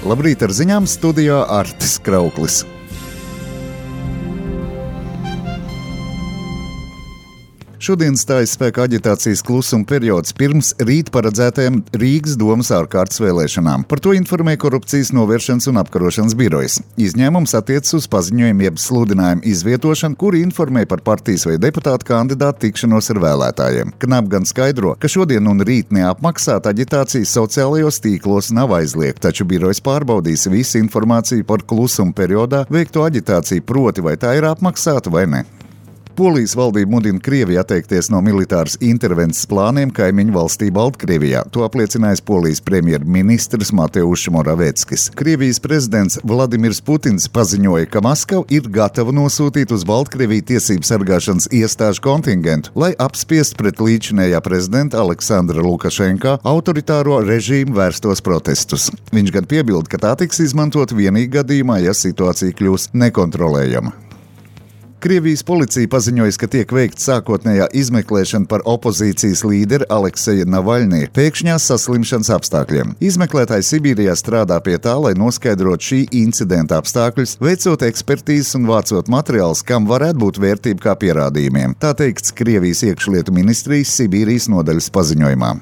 Labrīt, ar ziņām studijā Artis Krauklis. Šodien stājas spēkā aģitācijas klusuma periods pirms rīt paredzētajām Rīgas domas ārkārtas vēlēšanām. Par to informē Korupcijas novēršanas un apkarošanas birojas. Izņēmums attiecas uz paziņojumu jeb sludinājumu izvietošanu, kuri informē par partijas vai deputātu kandidātu tikšanos ar vēlētājiem. Knap gan skaidro, ka šodien un rīt neapmaksāta aģitācija sociālajos tīklos nav aizliegta, taču birojas pārbaudīs visu informāciju par klusuma periodā veikto aģitāciju, proti vai tā ir apmaksāta vai ne. Polijas valdība mudina Krieviju atteikties no militāras intervences plāniem kaimiņu valstī Baltkrievijā. To apliecinājis Polijas premjerministrs Mateušs Moraveckis. Krievijas prezidents Vladimirs Putins paziņoja, ka Maskava ir gatava nosūtīt uz Baltkrieviju tiesību sargāšanas iestāžu kontingentu, lai apspiestu pret līdzinējā prezidenta Aleksandra Lukašenka autoritāro režīmu vērstos protestus. Viņš gan piebilda, ka tā tiks izmantot vienīgi gadījumā, ja situācija kļūs nekontrolējama. Krievijas policija paziņoja, ka tiek veikta sākotnējā izmeklēšana par opozīcijas līderi Alekseja Navaļnī pēkšņās saslimšanas apstākļiem. Izmeklētāji Sibīrijā strādā pie tā, lai noskaidrotu šī incidenta apstākļus, veicot ekspertīzes un vācot materiālus, kam varētu būt vērtība kā pierādījumiem. Tā teikts Krievijas iekšlietu ministrijas Sibīrijas nodaļas paziņojumā.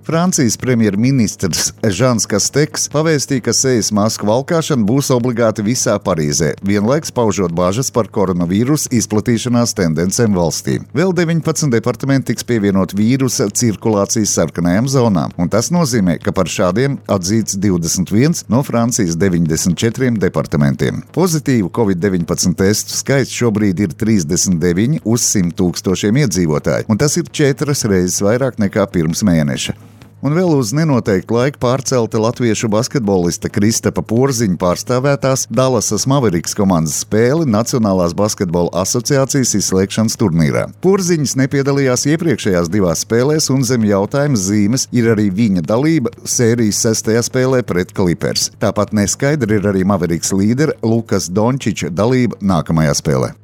Francijas premjerministrs Žans Kasteks pavēstīja, ka sejas masku valkāšana būs obligāti visā Parīzē, vienlaiks paužot bāžas par koronavīrusu izplatīšanās tendencēm valstī. Vēl 19 departamenti tiks pievienot vīrusa cirkulācijas sarkanajām zonām, un tas nozīmē, ka par šādiem atzīts 21 no Francijas 94 departamentiem. Pozitīvu Covid-19 testu skaits šobrīd ir 39 uz 100 000 iedzīvotāju, un tas ir 4 reizes vairāk nekā pirms mēneša. Un vēl uz nenoteiktu laiku pārcelta latviešu basketbolista Kristapa Porziņa pārstāvētās Dallasas Mavericks komandas spēle Nacionālās basketbola asociācijas izslēgšanas turnīrā. Porziņas nepiedalījās iepriekšējās 2 spēlēs, un zem jautājuma zīmes ir arī viņa dalība sērijas 6. spēlē pret Clippers. Tāpat neskaidri ir arī Mavericks līdera Lukas Dončiča dalība nākamajā spēlē.